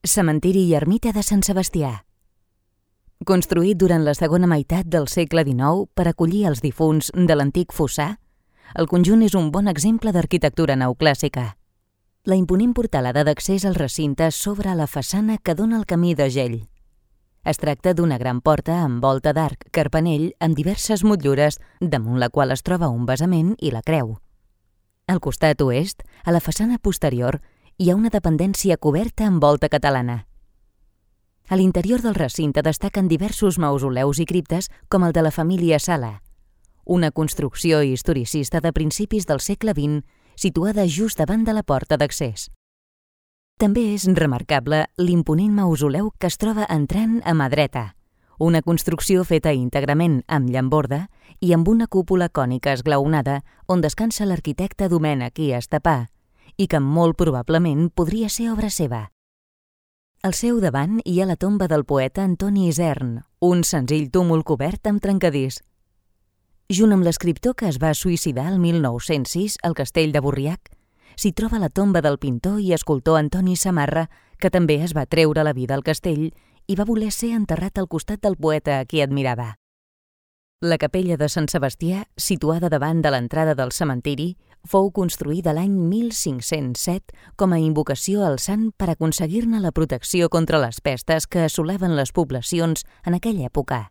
Cementiri i ermita de Sant Sebastià. Construït durant la segona meitat del segle XIX per acollir els difunts de l'antic fossar, el conjunt és un bon exemple d'arquitectura neoclàssica. La imponent portalada d'accés al recinte s'obre a la façana que dona al camí de Gell. Es tracta d'una gran porta amb volta d'arc carpanell amb diverses motllures, damunt la qual es troba un basament i la creu. Al costat oest, a la façana posterior, hi ha una dependència coberta amb volta catalana. A l'interior del recinte destaquen diversos mausoleus i criptes com el de la família Sala, una construcció historicista de principis del segle XX situada just davant de la porta d'accés. També és remarcable l'imponent mausoleu que es troba entrant a mà dreta, una construcció feta íntegrament amb llamborda i amb una cúpula cònica esglaonada on descansa l'arquitecte Domènec i Estapà i que molt probablement podria ser obra seva. Al seu davant hi ha la tomba del poeta Antoni Isern, un senzill túmul cobert amb trencadís. Junt amb l'escriptor que es va suïcidar el 1906 al castell de Borriac, s'hi troba la tomba del pintor i escultor Antoni Samarra, que també es va treure la vida al castell i va voler ser enterrat al costat del poeta a qui admirava. La capella de Sant Sebastià, situada davant de l'entrada del cementiri, fou construïda l'any 1507 com a invocació al sant per aconseguir-ne la protecció contra les pestes que assolaven les poblacions en aquella època.